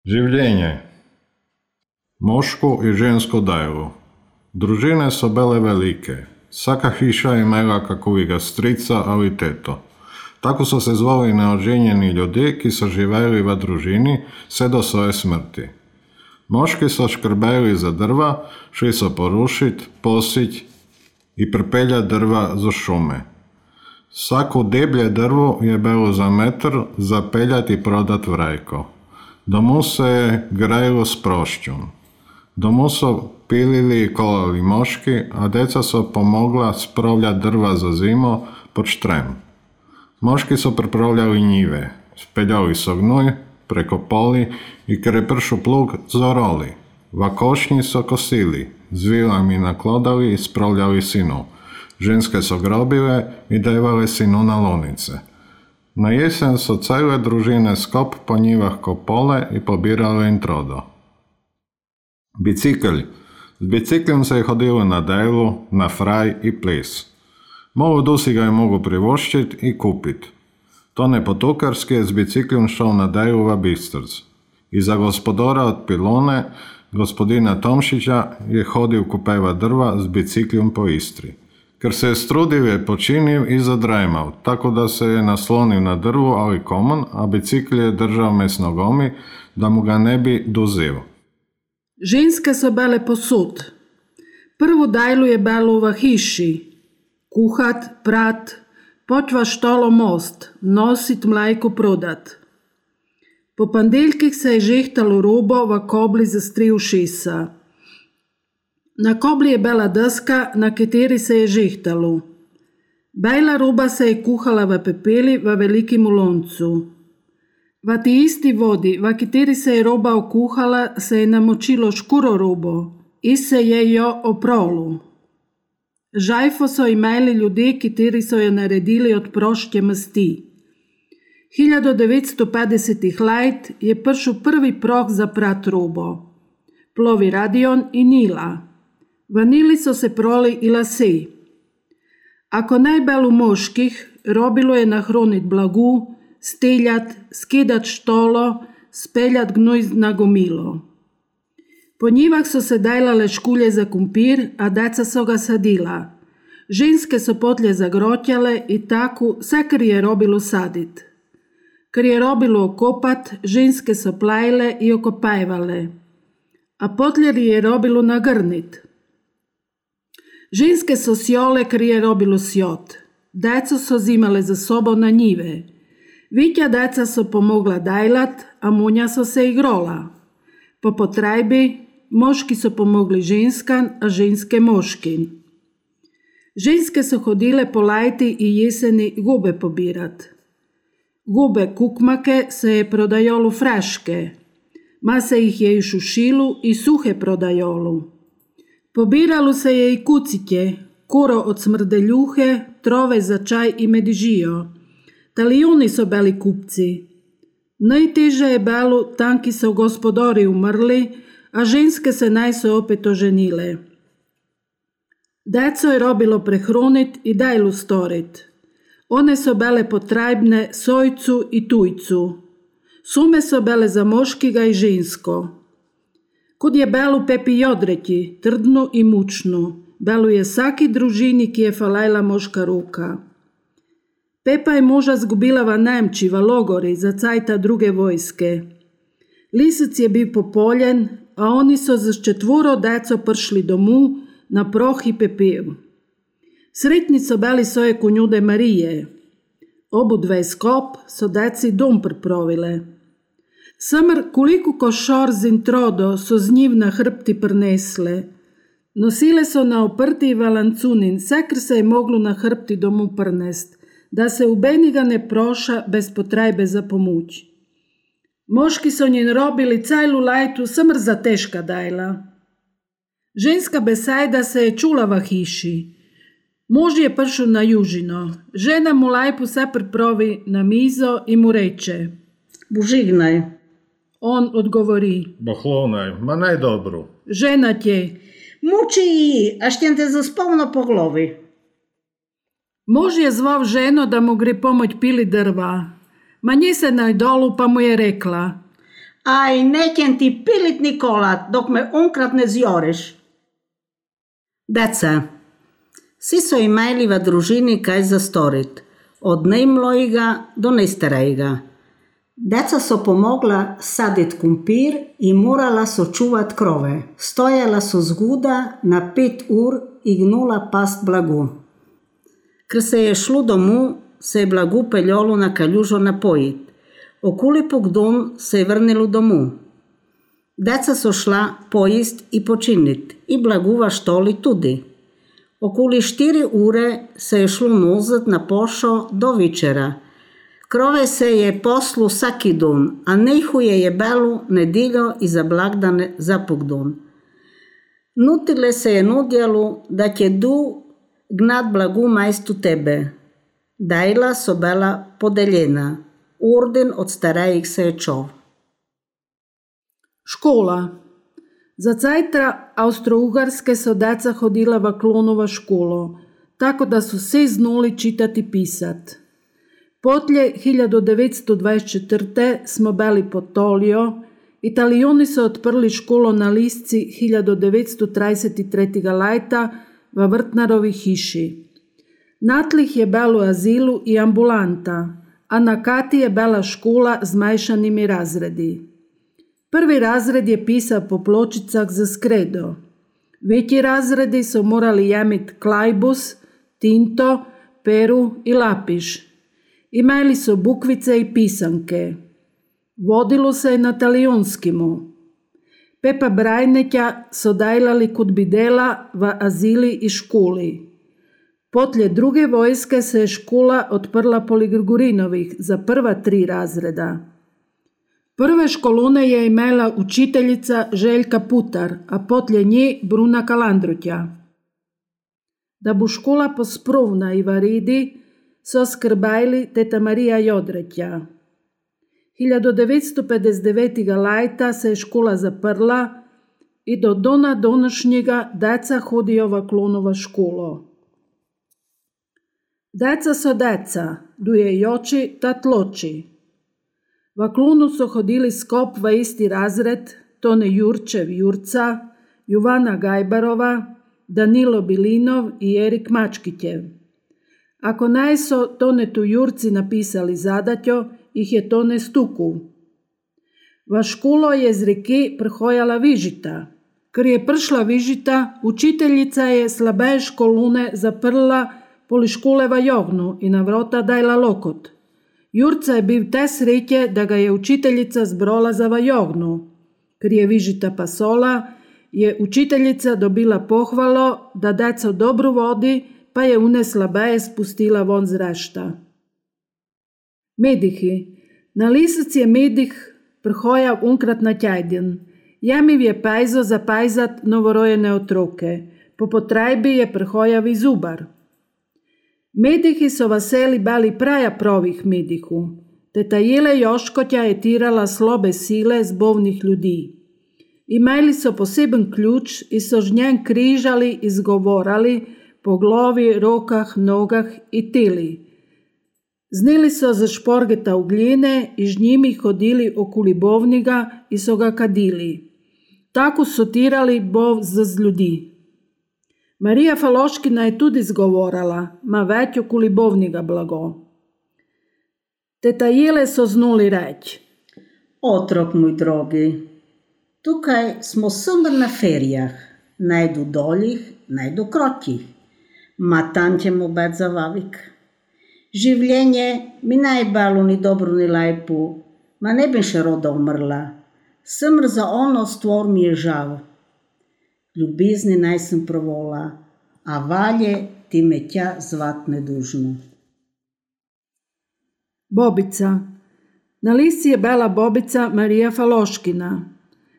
Življenje. Mošku i žensko dajlo. Družine so bile velike. Vsaka hiša je imela kakovega strica ali teto. Tako so se zvali neoženjeni ljudje, ki so živeli v družini vse do svoje smrti. Moški so škrbeli za drva, šli so porušiti, positi i pripeljati drva za šume. Svako deblje drvo je bilo za metar zapeljati i prodati v rajko. Domu se je grajilo s prošćom. Domu so pilili i kolali moški, a deca so pomogla spravljati drva za zimu pod štrem. Moški so pripravljali njive, speljali so gnoj, prekopali i kada je pršao plug, zorali. Vakošnji so kosili, z vilami naklodali i spravljali sinu. Ženske so grobile i dajvale sinu na lonice. Na jesen so cele družine skop po njivah kopale i pobirale im trodo. Bicikl. S biciklom se je hodilo na delu, na fraj i ples. Malo dusi ga je mogu privoščit i kupit. Tone Potukarski je s biciklom šel na delu v Bistrc. I za gospodora od Pilone, gospodina Tomšića, je hodil kupeva drva s biciklom po Istri. Ker se je strudil, je počinil i zadrajmal, tako da se je naslonil na drvu ali komon, a bicikl je držal med nogomi, da mu ga ne bi duzil. Ženske so bile posod. Prvo dajlu je bilo v hiši. Kuhat, prat, poć v štolo most, nosit mlajko prodat. Po pandeljkih se je žehtalo robo v kobli za 3 ušesa. Na kobli je bila deska, na kateri se je žehtalo. Bela roba se je kuhala v pepeli v velikim loncu. V ti isti vodi, v kateri se je roba okuhala, se je namočilo škuro robo in se je jo opralo. Žajfo so imeli ljudje, kateri so jo naredili od proške masti. 1950 let je prišel prvi proh za prat robo. Plovi Radion in Nila. V Nili so se proli i lase. Ako najbolj v moških, robilo je nahronit blagu, steljat, skidat štolo, speljat gnoj na gomilo. Po njivah so se dajlale škulje za kumpir, a deca so ga sadila. Ženske so potlje zagrotjale i tako vse, kar je robilo sadit. Kar je robilo okopat, ženske so plajle i okopajvale. A potlje je robilo nagrnit. Ženske so sjole, kar je robilo sjot. Deco so zimale za sobo na njive. Vitja deca so pomogla dajlat, a munja so se igrola. Po potrajbi, moški so pomogli ženskan, a ženske moškin. Ženske so hodile po lajti i jeseni gube pobirat. Gube kukmake se je prodajolo fraške. Ma se ih je i šušilu i suhe prodajolu. Pobiralo se je i kucitje, kuro od smrdeljuhe, trove za čaj i medižijo. Talijuni so bili kupci. Najteže je bilo, tanki so gospodori umrli, a ženske se naj so opet oženile. Deco je robilo prehronit i dajlu storit. One so bile potrajbne sojcu i tujcu. Sume so bile za moškiga i žensko. Kud je belu pepi jodreti, trdnu i mučnu, belu je vsaki družini, ki je falajla moška ruka. Pepa je moža zgubila v Nemči, v logori, za cajta druge vojske. Lisec je bil popoljen, a oni so z 4 deco prišli domu na proh i pepel. Sretni so bili svoje konjude Marije. Obu dve skop so deci dom pripravile. Samr koliko košor z introdo so z njiv na hrbti prinesle. Nosile so na oprti valancunin, vse, kar se je moglo na hrbti domu prinest, da se ubeniga ne proša bez potrebe za pomoč. Moški so njen robili cajlu lajtu samr za teška dajla. Ženska besajda se je čula v hiši. Mož je prišel na južino. Žena mu lajpu se pripravi na mizo in mu reče: Božignaj. On odgovori: Bohlonaj, ma najdobru. Žena tje: Muči ji, a štem te zaspal na po glavi. Mož je zval ženo, da mu gre pomoć pili drva. Ma nje se najdolu, pa mu je rekla: Aj, nećem ti pilit Nikolat dok me unkrat ne zjoreš. Deca, si so imeli v družini kaj za storit, od najmlojega do najstarejega. Deca so pomogla saditi kumpir in morala so čuvat krove. Stojala so zguda na 5 ur in gnula past blagu. Ker se je šlo domov, se je blagu peljalo na kaljužo napojit. Okoli pogdom se je vrnilo domov. Deca so šla pojist in počinit in blagu v štoli tudi. Okoli 4 ure se je šlo nozet na pošo do večera. Krove se je poslu vsaki dan, a najhuje je bilo nedeljo in za blagdane za pogdon. Nutile se je nudjalo, da će du gnat blagu majstu tebe. Dajla so bila podeljena. Orden od starejih se je čov. Škola. Za cajtra Austro-Ugarske so deca hodila v Klonova školo, tako da su vsi znali čitati i pisat. Potlje 1924. smo bili pod Tolio, Italijoni su otprli školo na Lisci 1933. lajta v Vrtnarovi hiši. Natlih je bilo azilu i ambulanta, a na kati je bila škola z majšanimi razredi. Prvi razred je pisao po pločicah za skredo. Veći razredi su morali jemit klajbus, tinto, peru i lapiš. Imali su bukvice i pisanke. Vodilo se na talijonskimu. Pepa Brajnetja so dajlali kod bidela v azili i školi. Potlje druge vojske se je škola otprla poleg Grgurinovih za prva 3 razreda. Prve školone je imela učiteljica Željka Putar, a potlje nje Bruna Kalandrutja. Da bu škola posprovna i varidi, so skrbajli teta Marija Jodretja. 1959. lajta se je škola zaprla i do dona donošnjega deca hodijo v Klonova školo. Deca so deca, duje joči, tat loči. V Klonu so hodili skop v isti razred Tone Jurčev Jurca, Jovana Gajbarova, Danilo Bilinov i Erik Mačkitjev. Ako naj so Tonetu Jurci napisali zadatjo, ih je Tone stuku. V školo je z reki prihojala Vižita. Ker je prišla Vižita, učiteljica je slabe školune zaprla poli škole v Jognu i na vrota dajla lokot. Jurca je bil te sreće, da ga je učiteljica zbrola za v Jognu. Ker je Vižita pasola, je učiteljica dobila pohvalo, da deco dobro vodi, pa je une slabeje spustila von z rešta. Medihi. Na Lisac je medih prihojal unkrat na tjedjen. Jemiv je pajzo za pajzat novorojene otroke. Po potrajbi je prihojal i zubar. Medihi so vaseli bali praja provih medihu. Teta Jele Joškotja je tirala slobe sile zbovnih ljudi. Imeli so poseben ključ i so žnjen križali i zgovorali po glavi, rokah, nogah i teli. Znili so za šporgeta ugljene i z njimi hodili okoli bovniga i so ga kadili. Tako so tirali bov z ljudi. Marija Faloškina je tudi zgovorala, ma već okoli bovniga blago. Teta Jele so znuli reći. Otrok moj drogi, tukaj smo somr na ferijah, najdu doljih, najdu krotjih, ma tam ćemo bet za vavik. Življenje mi najbalu ni dobro ni lajpu, ma ne bi še roda umrla. Semr za ono stvor mi je žal. Ljubezni naj sem provola, a valje ti me tja zvat nedužno. Bobica. Na Lisci je bela bobica Marija Faloškina.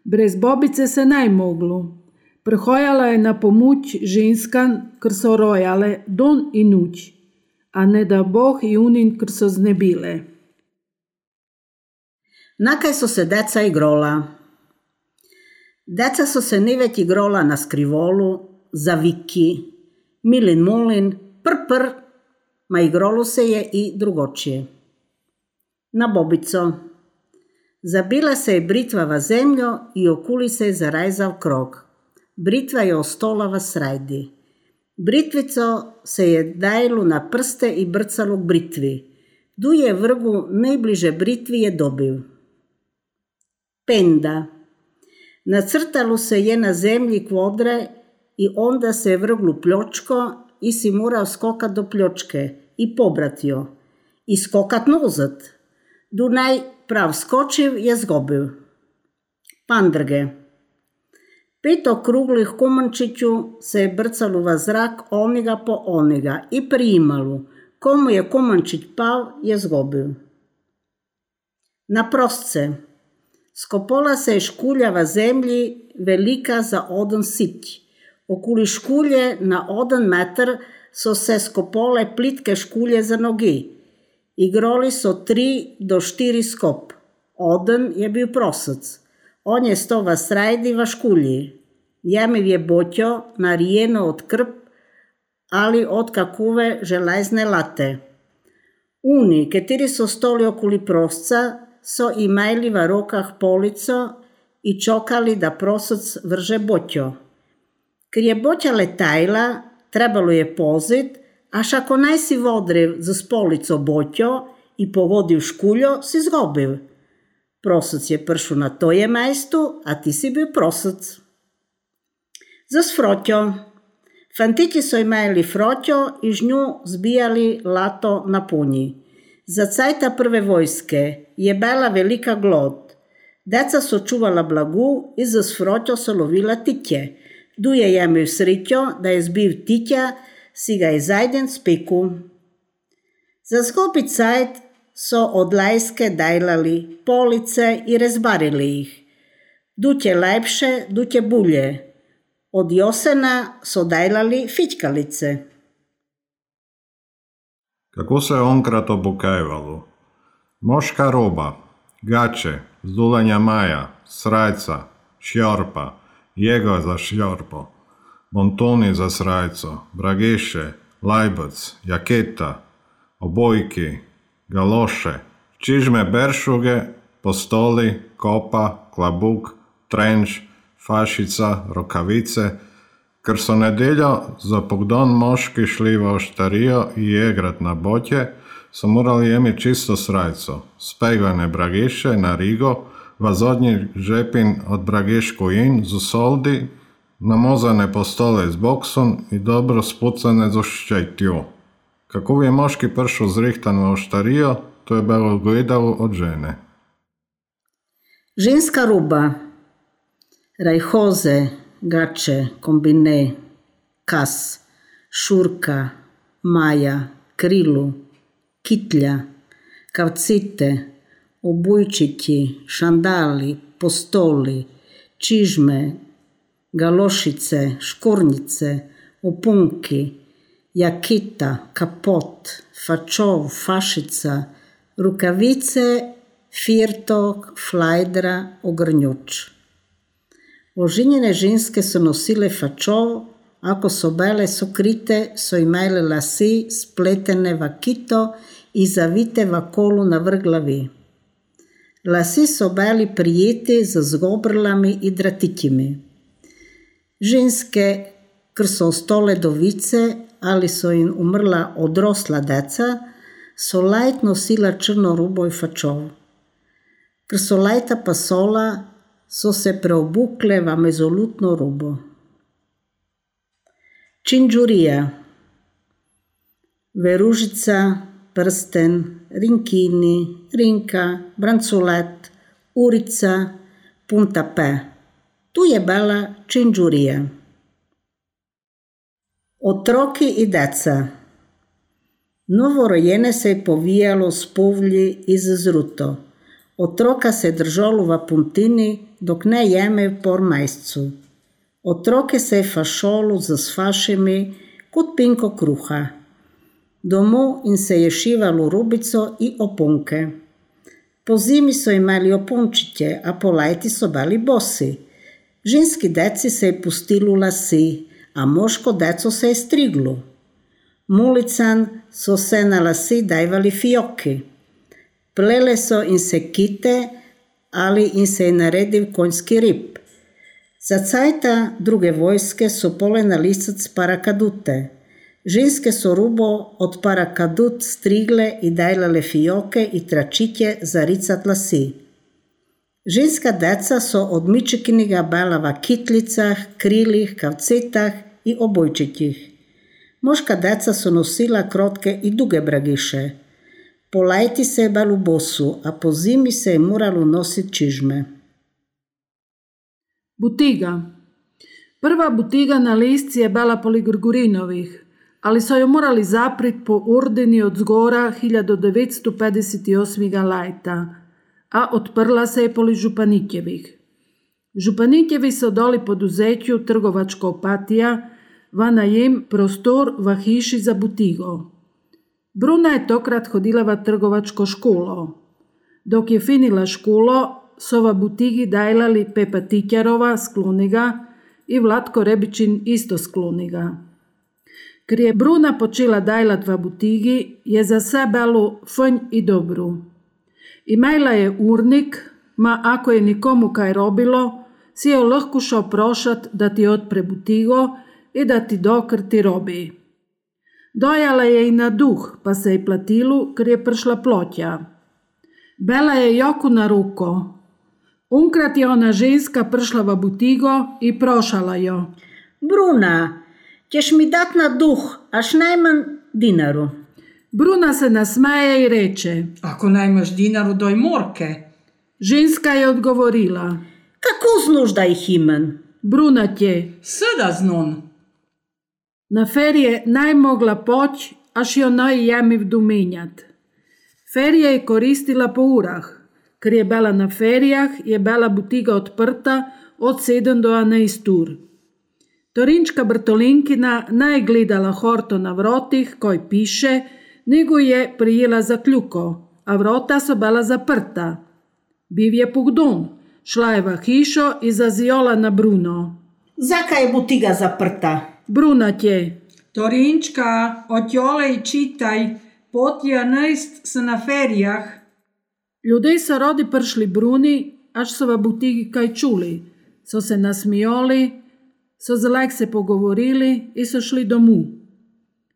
Brez bobice se naj moglo. Prihojala je na pomoč ženskan, ker so rojale don i nuć, a ne da Boh i unin, ker so znebile. Nakaj so se deca igrola. Deca so se nevet igrola na skrivolu, za viki, milin molin, pr, ma igrolo se je i drugočije. Na bobico. Zabila se je britva v zemljo i okuli se je zarajzal krog. Britva je ostala v srajdi. Britvico se je dajlo na prste i brcalo k britvi. Du je vrgu najbliže britvi je dobil. Penda. Nacrtalo se je na zemlji kvadre i onda se je vrglo pljočko i si moral skokat do pljočke i pobrat jo. I skokat nazad. Du naj prav skočiv je zgobil. Pandrge. 5 okruglih komančiću se je brcalo v zrak oniga po oniga i prijimalo. Komu je komančić pal, je zgobil. Na prostce. Skopala se je škulja v zemlji velika za 1 siť. Okoli škulje na 1 meter so se skopale plitke škulje za nogi. Igrali so 3 do 4 skop. 1 je bil prosec. On je sto v srajdi v škulji. Jemiv je boťo narijeno od krp ali od kakove železne late. Oni, kateri so stoli okoli prosca, so imeli v rokah polico i čokali da prosec vrže boťo. Ker je boťa letajla, trebalo je pozit, až ako naj si vodriv z polico boťo i povodil škuljo, si zgobil. Prosec je pršel na toje mesto, a ti si bil prosec. Za sfroťo. Fantići so imeli froťo i žnju zbijali lato na punji. Za cajta prve vojske je bila velika glod. Deca so čuvala blagu i za sfroťo so lovila titje. Du je jemil sriťo, da je zbil titja, si ga je zajden spiku. Za zgobi cajt so od lajske dajlali police i rezbarili ih. Dutje lepše, dutje bulje. Od Josena so dajlali fićkalice. Kako se je onkrat obukajvalo? Moška roba, gače, zdulanja maja, srajca, šjorpa, jego za šjorpo, bontoni za srajco, brageše, lajbac, jaketa, obojki, galoše, čižme beršuge, postoli, kopa, klabuk, trenč, fašica, rokavice, ker so nedeljo za pogdon moški šli v oštarijo i jegrat na boťe, so morali jemi čisto srajco, spegane brageše na rigo, vazodnji žepin od brageško in z soldi, namozane postole z boksom i dobro spucane z ščetjo. Kako je moški pršel zrihtan v oštarijo, to je bilo gledalo od žene. Ženska roba. Rajhoze, gače, kombine, kas, šurka, maja, krilu, kitlja, kavcite, obujčiki, šandali, postoli, čižme, galošice, škornjice, opunki, jakita, kapot, fačov, fašica, rukavice, firtok, flajdra, ogrnjuč. Oženjene ženske so nosile fačov, ako so bile sokrite, so imele lasi spletene v kito i zavite v kolu na vrh glavi. Lasi so bili prijeti z zgobrlami i dratitjimi. Ženske, ker so ostale dovice ali so jim umrla odrosla deca, so lajt nosila črno rubo i fačov. Ker so lajta pasola, so se preobukle v mezolutno rubo. Činđurija. Veružica, prsten, rinkini, rinka, brancolet, urica, puntape. Tu je bila činđurija. Otroki i deca. Novorojene se je povijalo s povlji iz zruto. Otroka se držalo v puntini, dok ne jeme por majscu. Otroke se je fašolo z fašemi kot pinko kruha. Domov in se je šivalo rubico i opunke. Po zimi so imeli opunčiće, a po lajti so bili bosi. Ženski deci se je pustilo lasi, a moško deco se je striglo. Mulican so se na lasi dajvali fioki. Plele so in se kite, ali im se je naredil konjski rib. Za cajta druge vojske so pole na lisac parakadute. Ženske so rubo od parakadut strigle i dajlale fijoke i tračitje za ricat lasi. Ženska deca so od mičekinega bela v kitlicah, krilih, kavcetah i obojčitjih. Moška deca so nosila krotke i duge bragiše. Po lajti se je belu bosu, a po zimi se je moralo nositi čižme. Butiga. Prva butiga na listi je bila poli Grgurinovih, ali so jo morali zaprit po ordini od zgora 1958. lajta, a odprla se je poli Županitjevih. Županitjevi so doli poduzetju trgovačko opatija v najem prostor v hiši za butigo. Bruna je tokrat hodila v trgovačko školo. Dok je finila školo, so v butigi dajlali Pepa Titjarova z Kluniga i Vlatko Rebičin isto z Kluniga. Ker je Bruna počela dajlat v butigi, je za sve bilo fajn i dobru. Imela je urnik, ma ako je nikomu kaj robilo, si je lahko šel prošat da ti odpre butigo i da ti dokrti robi. Dojala je i na duh, pa se je platilu, ker je prišla plotja. Bela je joku na ruko. Unkrat je ona ženska prišla v butigo i prošala jo. Bruna, ćeš mi dat na duh, až najmanj dinaru. Bruna se nasmeje i reče. Ako najmaš dinaru, doj morke. Ženska je odgovorila. Kako znuš da ih imen? Bruna tje. Sada znon. Na ferije naj mogla poć, až jo naj jemiv duminjat. Ferija je koristila po urah. Ker je bila na ferijah, je bila butiga odprta od 7 do 11 ur. Torinčka Brtolinkina naj gledala horto na vrotih, koj piše, nego je prijela za kljuko, a vrota so bila zaprta. Biv je pogdon, šla je v hišo i zaziola na Bruno. Zakaj je butiga zaprta? Bruna tje. Torinčka, otjole i čitaj, potja nejst se na ferijah. Ljudje so rodi prišli Bruni, až so v butigi kaj čuli. So se nasmijali, so zalek se pogovorili i so šli domu.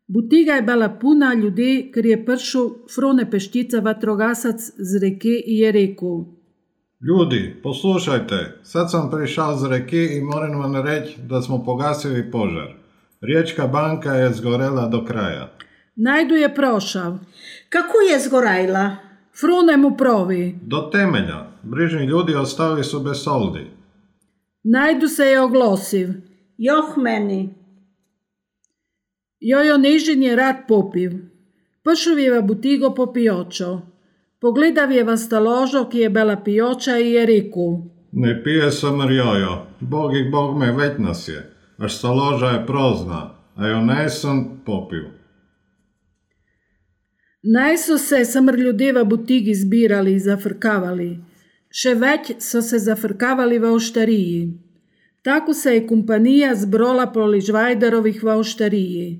Butiga je bila puna ljudi, ker je prišel Frone Peštica vatrogasac z reke i je rekel. Ljudi, poslušajte, sad sam prišao z reke i moram vam reći da smo pogasili požar. Riječka banka je zgorela do kraja. Najdu je prošav. Kako je zgorajla? Frune mu provi. Do temelja. Brižni ljudi ostali su bez soldi. Najdu se je oglosiv. Joh meni. Jojo Nežin je rad popiv. Prišel je v butigo po pijočo. Pogledav je v staložo, ki je bila pijoča i je rekel. Ne pije samr jojo. Bog i Bog me već nas je. Až staloža je prozna, a jo nesem popil. Naj so se samr ljudje v butigi zbirali i zafrkavali. Še več so se zafrkavali v oštariji. Tako se je kompanija zbrola poli Žvajdarovih v oštariji.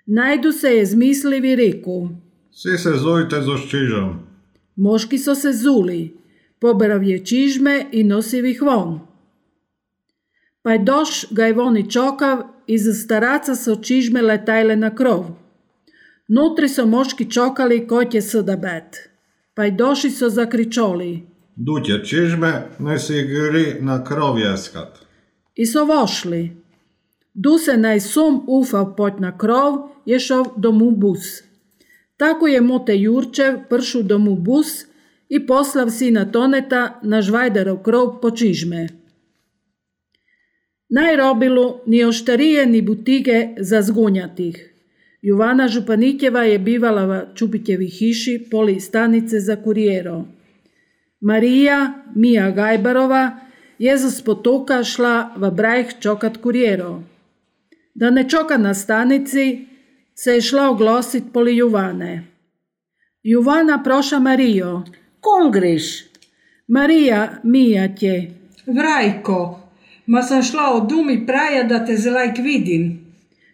Najdu se je zmislil i rekel. Svi se zujte z oščižom. Moški so se zuli. Poberav je čižme i nosiv ih von. Pajdoš ga je voni čokav i za staraca so čižme letajle na krov. Nutri so moški čokali koj je sada bet. Pajdoši so zakričoli. Dutje čižme, ne si gri na krov jeskat. I so vošli. Du se naj sum ufav pot na krov, je šel domu bus. Tako je Mote Jurčev pršel domu bus i poslav sina Toneta na Žvajdarov krov po čižme. Naj robilu ni oštarije ni butige za zgunjatih. Jovana Županitjeva je bivala v Čupitjevi hiši poli stanice za kurijero. Marija Mija Gajbarova je z potoka šla v Brajh čokat kurijero. Da ne čoka na stanici, se je šla oglosit poli Jovane. Jovana proša Marijo. Kom greš? Marija, Mija tje. Vrajko, ma sam šla od dumi praja da te zelajk vidim.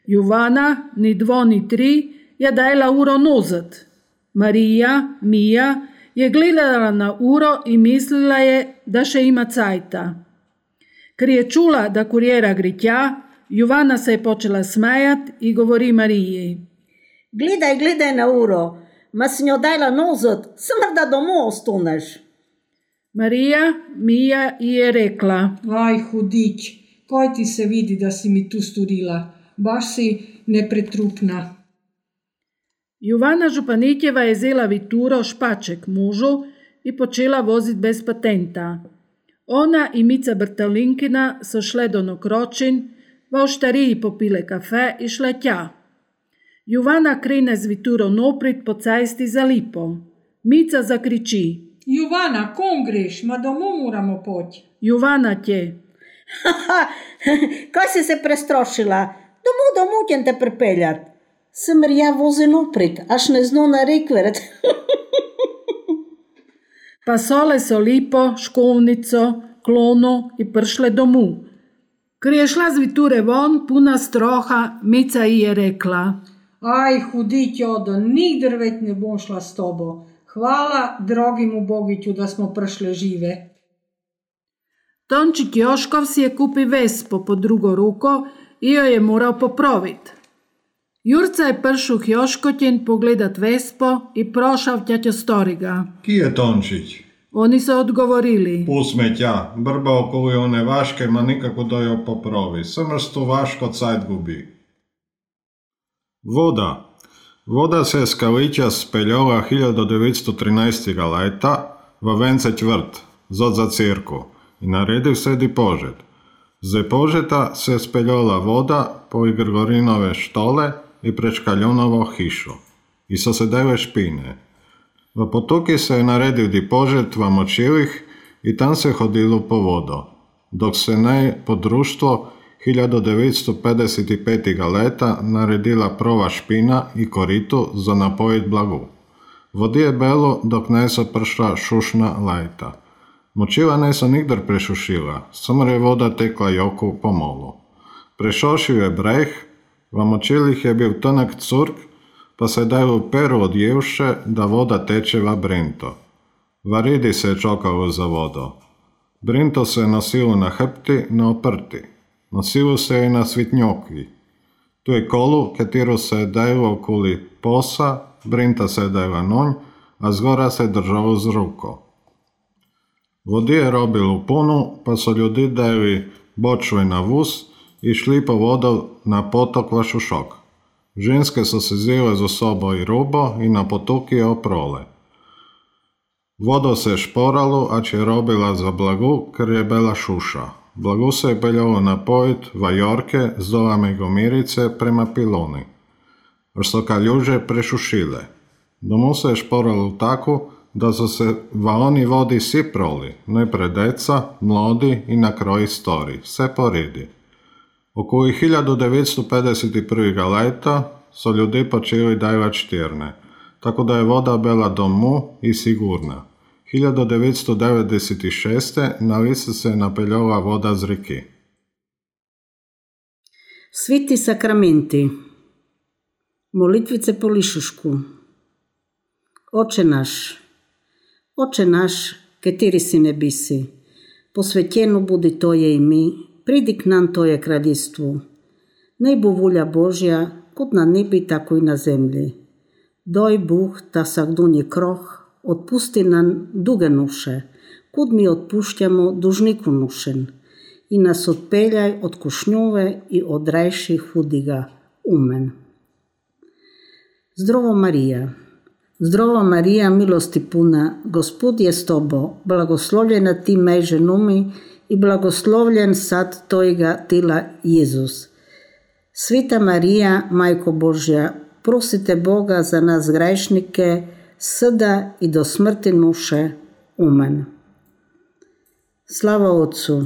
Jovana, ni dvo ni tri, je dajla uro nozad. Marija, Mija, je gledala na uro i mislila je da še ima cajta. Ker je čula da kurijera gre tja, Jovana se je počela smejat i govori Mariji. Gledaj na uro, ma si njo dajla nozot, smr da domov ostaneš. Marija Mija ji je rekla. Aj, hudič, kaj ti se vidi, da si mi tu storila? Baš si nepretrupna. Jovana Županitjeva je zela vituro špaček mužu i počela vozit bez patenta. Ona i Mica Brtalinkina so šle do Nokročin, v oštariji popile kafe i šle tja. Jovana krene z vituro noprit po cajsti za Lipo. Mica zakriči. Jovana, kom greš? Ma domov moramo poći. Jovana tje. Kaj si se prestrošila? Domov ćem te pripeljat. Smr ja vozi noprit, až ne zno na rikvert. Pa sole so Lipo, školnico, klonu i pršle domu. Ker je šla z viture von, puna stroha, Mica ji je rekla. Aj, hudić, Odo, nigdr već ne bom šla s tobo. Hvala drogimu Bogiću da smo pršle žive. Tončik Joškov si je kupi Vespo po drugo ruko i joj je moral poprovit. Jurca je pršuh Joškotjen pogledat Vespo i prošav tjaťo storiga. Ki je Tončić? Oni su odgovorili. Pusme tja, brba okoli one vaške, ma nikako da jo poprovi. Smrstu vaško cajt gubi. Voda. Voda se z Kalića speljala 1913. leta v Venceć vrt, zod za cirku, i naredil se di požet. Z požeta se speljala voda po Grgorinove štole i pred Škaljunovo hišo. I so se dele špine. V potoki se je naredil di požet v močilih i tam se hodilo po vodo, dok se ne po društvo 1955. leta naredila prva špina i koritu za napojit blagu. Vodi je bilo, dok ne so pršla šušna lajta. Močila ne so nikdar prešušila, samo je voda tekla joku po molu. Prešošil je breh, v močilih je bil tonak curk, pa se dalo peru odjevše, da voda teče v Brinto. V ridi se je čokalo za vodo. Brinto se je nosilo na hrbti, na oprti. Nosilo se je na svitnjoki. Tu je kolu, katero se je dajalo okoli posa, Brinta se je dajala nonj, a zgora se je držalo z ruko. Vodi je robilo puno, pa so ljudi dajali bočve na vus i šli po vodo na potok v Šušok. Ženske so se zele z osobo i rubo i na potoki je oprole. Vodo se je šporalo, a če je robila za blagu, ker je bila šuša. Blagu se je peljalo napojit v Jorke z dolami Gomirice prema Piloni. Až so kaljuže prešušile. Domu se je šporalo tako, da so se v oni vodi vsi proli, najprej deca, mladi i na kroji stori, vse po redi. Okoli 1951. leta so ljudje počeli dajvat štirne, tako da je voda bila domu i sigurna. 1996. na lice se je napeljala voda z reki. Sviti sakramenti. Molitvice po lišušku. Oče naš, kateri si nebisi, posvetjeno budi Tvoje ime, pridi k nam Tvoje kraljstvo. Naj bo volja Božja, kot na nebi, tako i na zemlji. Daj Bog, da vsakdonji kroh odpusti nam duge noše, kot mi odpuščamo dužniku nošen, i nas odpeljaj od kušnjove i odrejši hudiga. Amen. Zdravo Marija, milosti puna, Gospod je s tobo, blagoslovljena ti med ženami i blagoslovljen sad Tvojega tela Jezus. Sveta Marija, Majko Božja, prosite Boga za nas grešnike, sada i do smrti naše. Amen. Slava Otcu.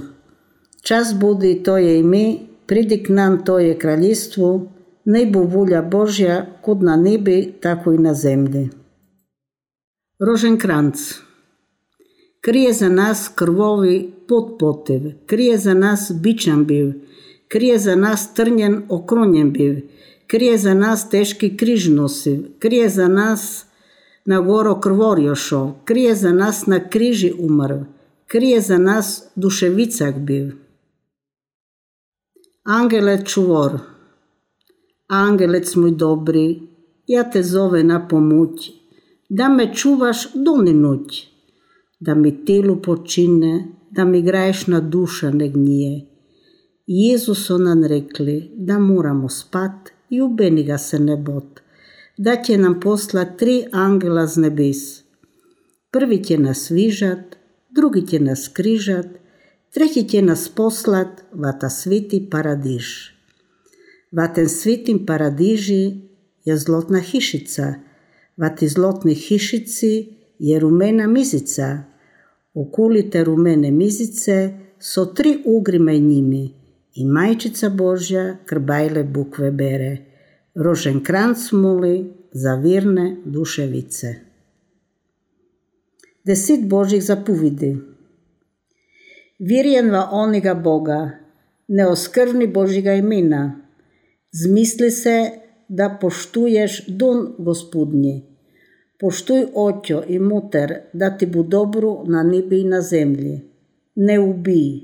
Čas budi Tvoje ime, pridi k nam Tvoje kraljstvo, naj bo volja Božja, kot na nebi, tako i na zemlji. Roženkranc. Krije za nas krvovi potpotev, krije za nas bičan bil, krije za nas trnjen okronjen bil, krije za nas teški križ nosiv, krije za nas na goro krvorjošo, krije za nas na križi umrl, krije za nas duševicak bil. Angele čuvor, angelec moj dobri, ja te zove na pomoć, da me čuvaš doni noć, da mi telu počine, da mi grešna duša ne gnije. Jezus so nam rekli, da moramo spat i ubeni ga se ne bot, da će nam poslat 3 angela z nebes. Prvi će nas vižat, drugi će nas križat, treći će nas poslat va ta sviti paradiž. Va ten svitim paradiži je zlotna hišica, va ti zlotni hišici je rumena mizica. Okoli te rumene mizice so 3 ugri med njimi i majčica Božja krbajle bukve bere. Roženkranc moli za virne duševice. 10 Božjih zapovedi. Virjen va oniga Boga, ne oskvrni Božjega imena. Zmisli se, da poštuješ don Gospodnji. Poštuj očjo i muter, da ti bu dobro na nebi i na zemlji. Ne ubij,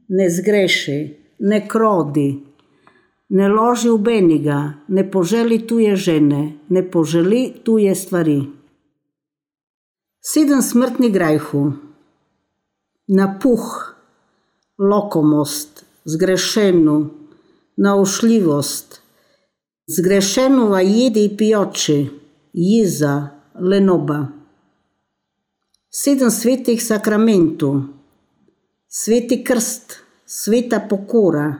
ne zgreši, ne krodi, ne loži ubeni ga, ne poželi tuje žene, ne poželi tuje stvari. 7 smrtni grajhu. Napuh, lokomost, zgrešenu, naušljivost, zgrešenu va jedi i pijoči, jiza, lenoba. 7 svetih sakramentu, sveti krst, sveta pokora,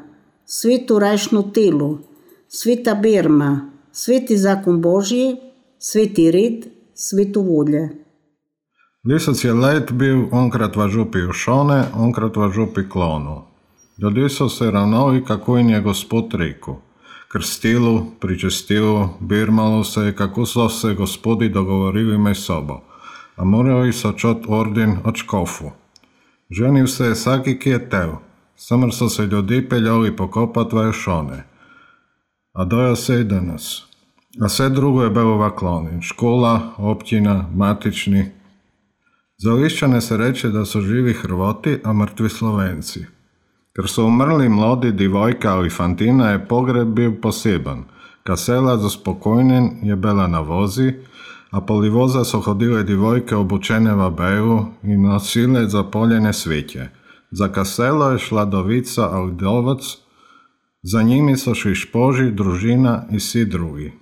sveto rajšno telo, sveta berma, sveti zakon Božji, sveti red, sveto volje. Lisac je let bil onkrat v župi Ušone, onkrat v župi Klonu. Ljudje so se ravnali, kako jim je Gospod rekel. Krstilu, pričestilu, birmalo se je, kako so se gospodi dogovorili med sobo, a morali so čot orden od škofu. Ženil se je vsaki, ki je tel, samar so se ljudje peljali pokopat v Ušone. A dojo se i danas. A vse drugo je bilo v Kloni, škola, općina, matični. Za Liščane se reče, da so živi Hrvati, a mrtvi Slovenci. Ker so umrli mladi divojka ali fantina, je pogreb bil poseben. Kasela za spokojnen je bila na vozi, a poli voza so hodile divojke obučene v belu in nosile zapoljene sveće. Za kaselo je šla dovica ali dovac, za njimi so šli špoži, družina i svi drugi.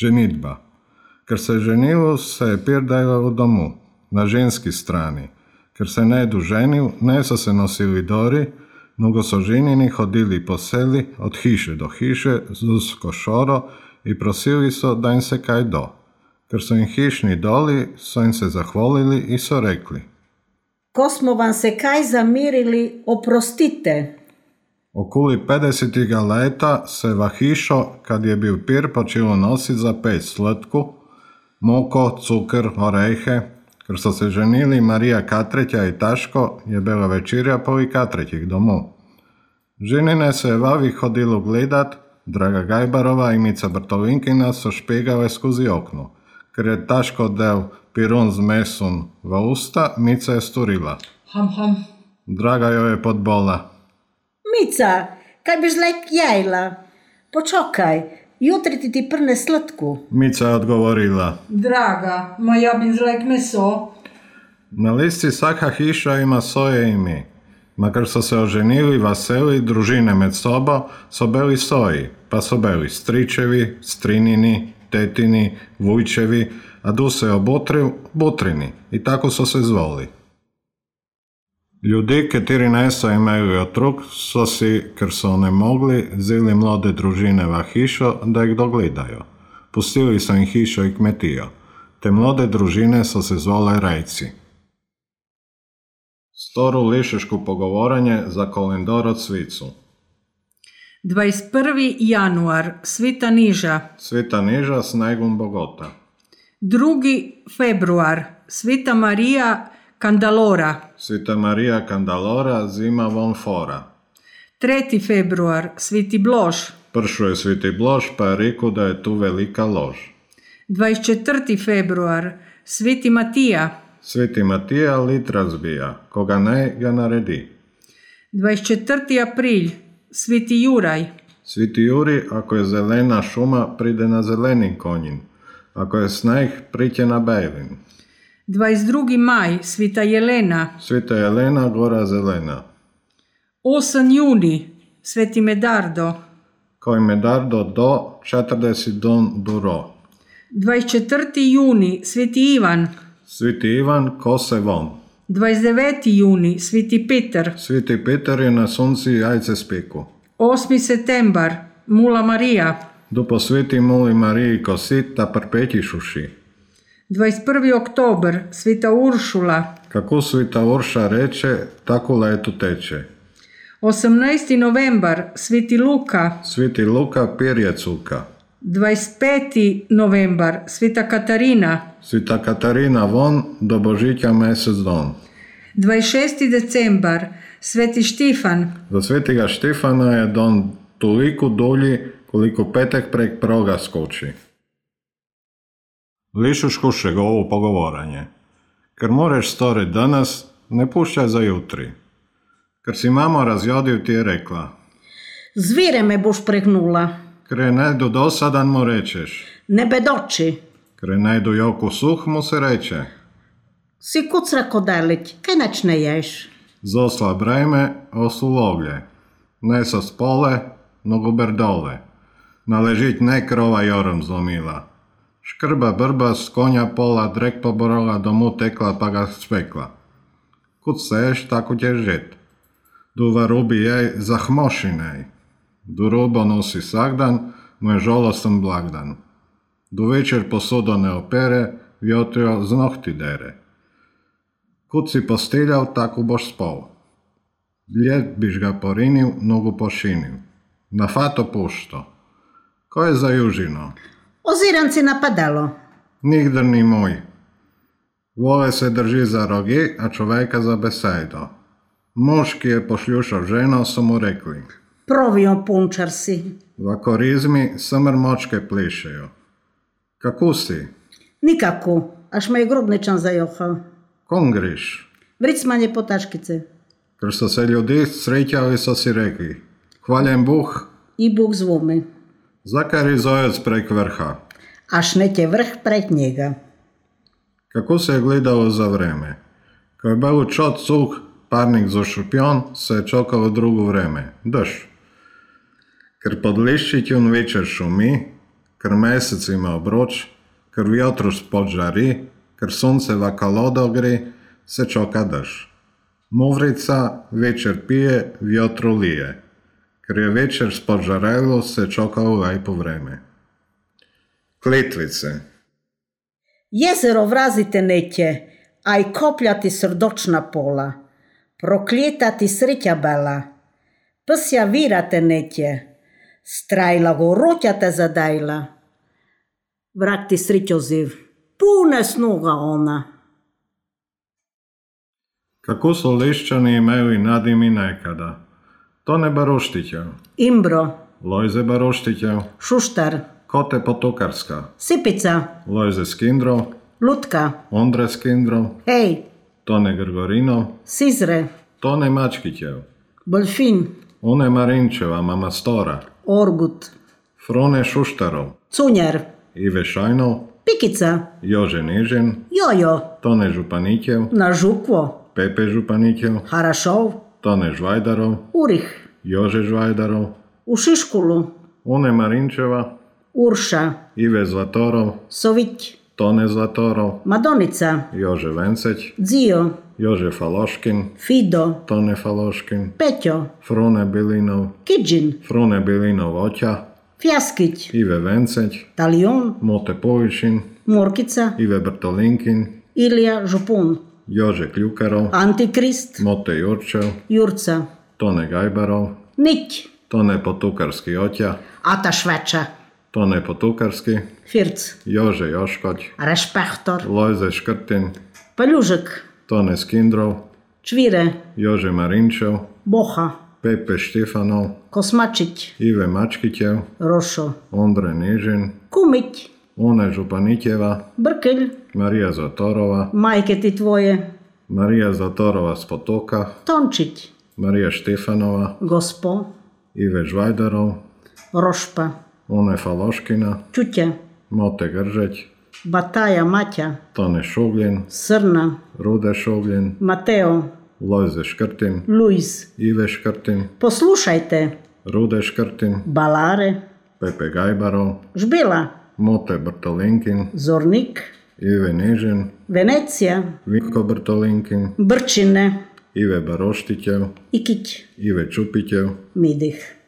Ženitba. Ker se je ženilo, se je pirdajla v domu, na ženski strani. Ker se ne je ženil, ne so se nosili dori, nego so ženini hodili po seli od hiše do hiše z usko šoro i prosili so da im se kaj do. Ker so im hišni doli, so im se zahvalili i so rekli: Ko smo vam se kaj zamirili, oprostite. Okoli 50. leta se v hišo, kad je bil pir, počelo nositi za peć slatku, moko, cukr, orehe. Ker so se ženili Marija Katreća i Taško, je bila večerja poli Katrećih domov. Ženine se je vavi hodilo gledat, Draga Gajbarova i Mica Brtolinkina so špegale skozi okno. Ker je Taško del pirun z mesom v usta, Mica je sturila. Ham, ham. Draga joj je podbola. Mica, kaj biš lek jajla? Počakaj, jutri ti prne slatku. Mica je odgovorila: Draga, ma ja bi zlek meso. Na listi svaka hiša ima svoje ime. Makar so se oženili, vaseli, družine med sobo, so bili soji, pa so bili stričevi, strinini, tetini, vujčevi, a du se obotril, butrini, i tako so se zvoli. Ljudje, kateri niso imeli otrok, so si, ker so ne mogli, vzeli mlade družine v hišo, da jih dogledajo. Pustili so jim hišo i kmetijo. Te mlade družine so se zvale rejci. Storo lišeško pogovoranje za kolendoro cvicu. 21. januar, Sveta Niža. Sveta Niža s Negom Bogota. 2. februar, Sveta Marija Kandalora. Sveta Marija Kandalora zima von fora. 3. februar, Sveti Blož. Pršo je Sveti Blož, pa je rekel, da je tu velika lož. 24. februar, Sveti Matija. Sveti Matija lit razbija, koga ne ga naredi. 24. april, Sveti Juraj. Sveti Juri, ako je zelena šuma, pride na zeleni konjin. Ako je sneg, priće na bejlin. 22. maj, Sveta Jelena. Sveta Jelena, gora zelena. 8. juni, Sveti Medardo. Koji Medardo do 40 don duro. 24. juni, Sveti Ivan. Sveti Ivan, kose von. 29. juni, Sveti Peter. Sveti Peter je na sunci jajce speku. 8. septembar, Mula Marija. Dupo sveti Muli Mariji kosit, ta perpeti šuši. 21. oktober, Sveta Uršula. Kako sveta Urša reče, tako leto teče. 18. novembar, Sveti Luka. Sveti Luka, pirje cuka. 25. novembar, Sveta Katarina. Sveta Katarina von, do Božitja mesec don. 26. decembar, Sveti Štifan. Za svetega Štefana je don toliko dulji, koliko petek prek proga skoči. Lišuškušeg ovo pogovoranje. Ker moreš storiti danas, ne puščaj za jutri. Ker si mama razjodil, ti je rekla. Zvire me boš pregnula. Ker je najdu dosadan, mu rečeš. Ne bedoči. Ker je najdu joku suh, mu se reče. Si kucra kodelić, kaj nač ne ješ? Zosla breme, oslu loglje. Ne sa spole, nogu berdole. Naležit ne krova jorem zlomila. Škrba brba s konja pola, drek poborola, domu tekla pa ga spekla. Kud seš, tako ćeš žet. Duva rubi jej zahmošinej. Du rubo nosi sagdan, mu je žalostan blagdan. Du večer posudo ne opere, vjotrio z nohti dere. Kud si postiljal, tako boš spal. Ljet biš ga porinil, nogu pošinil. Na fato pušto. Ko je za južino? Oziram si na padalo. Nigdar ni moj. Vole se drži za rogi, a človeka za besejdo. Mož, ki je pošljušal ženo, so mu rekli. Provio punčar si. V akorizmi samr močke plišejo. Kako si? Nikako, až me je grobničan zajohal. Kom griš? Vricmanje po taškice. Ker so se ljudi sretjali, so si rekli. Hvaljen Bog. I Bog zvome. Zakaj rizojec prek vrha? Až neće vrh prek njega. Kako se je gledalo za vreme? Ko je bil čot suh, parnik zašupjon, se je čakalo drugo vreme. Dež. Ker pod liščitjun večer šumi, ker mesec ima obroč, ker vjotru spod žari, ker sonce v kalodo gre, se čaka dež. Muvrica večer pije, vjotru lije. Ker je večer spod žarelo, se čakalo lepo vreme. Kletvice. Jezero vrazite neće, a i kopljati srdočna pola. Prokljetati sreća bela. Psja virate neće. Strajla go roťate zadajla. Vrak ti srećo ziv. Pune snoga ona. Kako so Liščani imeli nadimi nekada? Tone Baroštićev, Imbro, Lojze Baroštićev, Šuštar, Kote Potokarska, Sipica, Lojze Skindrov, Lutka, Ondre Skindrov, Hej, Tone Grgorinov, Sizre, Tone Mačkićev, Bolfin, One Marinčeva, mama Stora, Orgut, Frone Šuštarov, Cunjer, Ive Šajnov, Pikica, Jože Nižin, Jojo, Tone Županićev, na Žukvo, Pepe Županićev, Harašov, Tone Žvajdarov, Urih, Jože Žvajdarov, u Šiškulu, One Marinčeva, Urša, Ive Zlatorov, Sović, Tone Zlatorov, Madonica, Jože Venceć, Dzio, Jože Faloškin, Fido, Tone Faloškin, Pećo, Frune Bilinov, Kidžin, Frune Bilinov Oća, Fjaskić, Ive Venceć, Talion, Mote Povišin, Morkica, Ive Brtolinkin, Ilija Župun, Jože Kljukarov, Antikrist, Mote Jurčev, Jurca, Tone Gajbarov, Nić, Tone Potukarski Oća, Ata Šveča, Tone Potukarski, Firc, Jože Joškoć, Rešpehtor, Lojze Škrtin, Paljužek, Tone Skindrov, Čvire, Jože Marinčev, Boha, Pepe Štefanov, Kosmačić, Ive Mačkićev, Rošo, Ondre Nižin, Kumić, One Županitjeva, Brkelj, Marija Zatorova, majke ti tvoje, Marija Zatorova z Potoka, Tončić, Marija Štefanova, Gospo, Ive Žvajdarov, Rošpa, One Faloškina, Čutja, Mote Gržeć, Bataja Maťa, Tone Šuglin, Srna, Rude Šuglin, Mateo, Lojze Škrtin, Luis. Ive Škrtin, Poslušajte, Rude Škrtin, Balare, Pepe Gajbarov, Žbila, Mote Brtolinkin, Zornik, Ive Nežin, Venecija, Vinko Brtolinkin, Brčine, Ive Baroštitev, Ikić, Ive Čupitev, Midih.